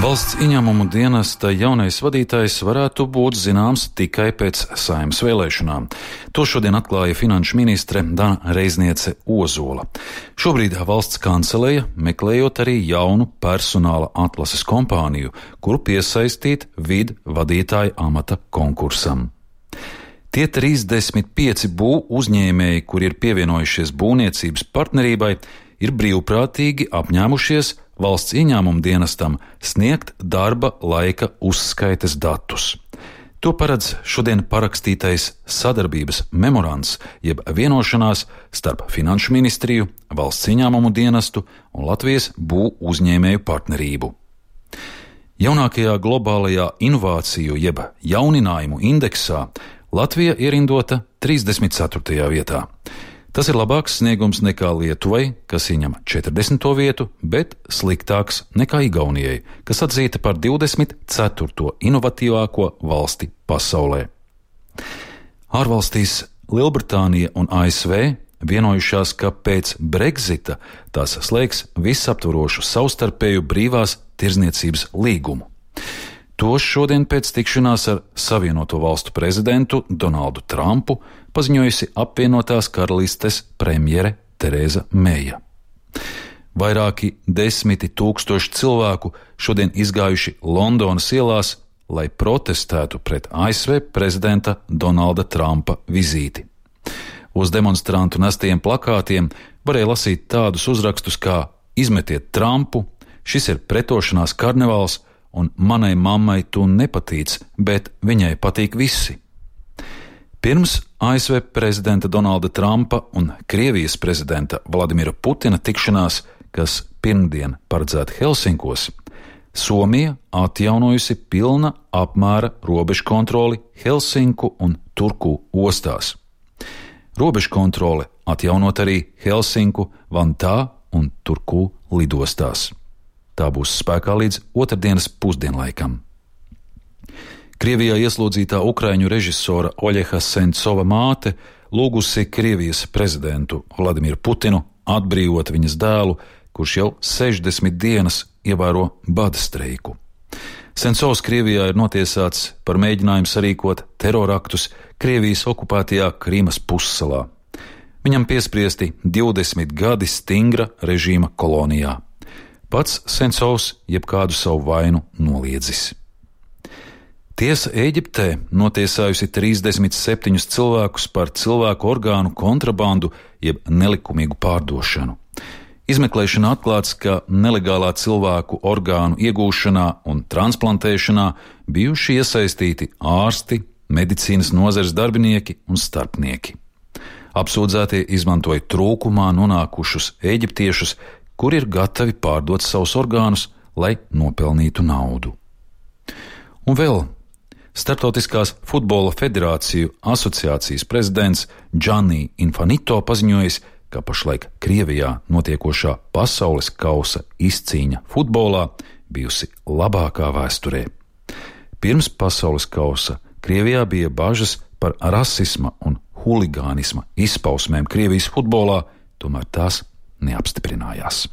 Valsts ieņēmumu dienesta jaunais vadītājs varētu būt zināms tikai pēc Saeimas vēlēšanām. To šodien atklāja finanšu ministre Dana Reizniece Ozola. Šobrīd valsts kanceleja meklējot arī jaunu personāla atlases kompāniju, kuru piesaistīt vadītāja amata konkursam. Tie 35 uzņēmēji, kuri ir pievienojušies būvniecības partnerībai, ir brīvprātīgi apņēmušies valsts ieņēmumu dienestam sniegt darba laika uzskaites datus. To paredz šodien parakstītais sadarbības memorands, jeb vienošanās starp Finanšu ministriju, valsts ieņēmumu dienestu un Latvijas uzņēmēju partnerību. Jaunākajā globālajā inovāciju jeb jauninājumu indeksā Latvija ierindota 34. vietā. Tas ir labāks sniegums nekā Lietuvai, kas ieņem 40. vietu, bet sliktāks nekā Igaunijai, kas atzīta par 24. inovatīvāko valsti pasaulē. Ārvalstīs Lielbritānija un ASV vienojušās, ka pēc Brexita tās slēgs visaptvarošu savstarpēju brīvās tirdzniecības līgumu. To šodien pēc tikšanās ar Savienoto valstu prezidentu Donaldu Trumpu paziņojusi apvienotās karalistes premjere Tereza Meija. Vairāki 10 000 cilvēku šodien izgājuši Londonas ielās, lai protestētu pret ASV prezidenta Donalda Trumpa vizīti. Uz demonstrantu nestajiem plakātiem varēja lasīt tādus uzrakstus kā "Izmetiet Trumpu", "Šis ir pretošanās karnevāls", un "Manai mammai tu nepatīc, bet viņai patīk visi". Pirms ASV prezidenta Donalda Trumpa un Krievijas prezidenta Vladimira Putina tikšanās, kas pirmdien paredzēta Helsinkos, Somija atjaunojusi pilna apmēra robežkontroli Helsinku un Turku ostās. Robežkontrole atjaunot arī Helsinku, Vantā un Turku lidostās. Tā būs spēkā līdz otrdienas pusdienlaikam. Krievijā ieslodzītā ukraiņu režisora Oļeha Sencova māte lūgusi Krievijas prezidentu Vladimiru Putinu atbrīvot viņas dēlu, kurš jau 60 dienas ievēro bada streiku. Sencovs Krievijā ir notiesāts par mēģinājumu sarīkot teroraktus Krievijas okupētajā Krīmas pussalā. Viņam piespriesti 20 gadi stingra režīma kolonijā. Pats Sencovs jebkādu savu vainu noliedzis. Tiesa Ēģiptē notiesājusi 37 cilvēkus par cilvēku orgānu kontrabandu jeb nelikumīgu pārdošanu. Izmeklēšanā atklāts, ka nelegālā cilvēku orgānu iegūšanā un transplantēšanā bijuši iesaistīti ārsti, medicīnas nozares darbinieki un starpnieki. Apsūdzētie izmantoja trūkumā nonākušus eģiptiešus, kuri ir gatavi pārdot savus orgānus, lai nopelnītu naudu. Un vēl Startautiskās futbola federāciju asociācijas prezidents Gianni Infantino paziņojis, ka pašlaik Krievijā notiekošā pasaules kausa izcīņa futbolā bijusi labākā vēsturē. Pirms pasaules kausa Krievijā bija bažas par rasisma un huligānisma izpausmēm Krievijas futbolā, tomēr tās neapstiprinājās.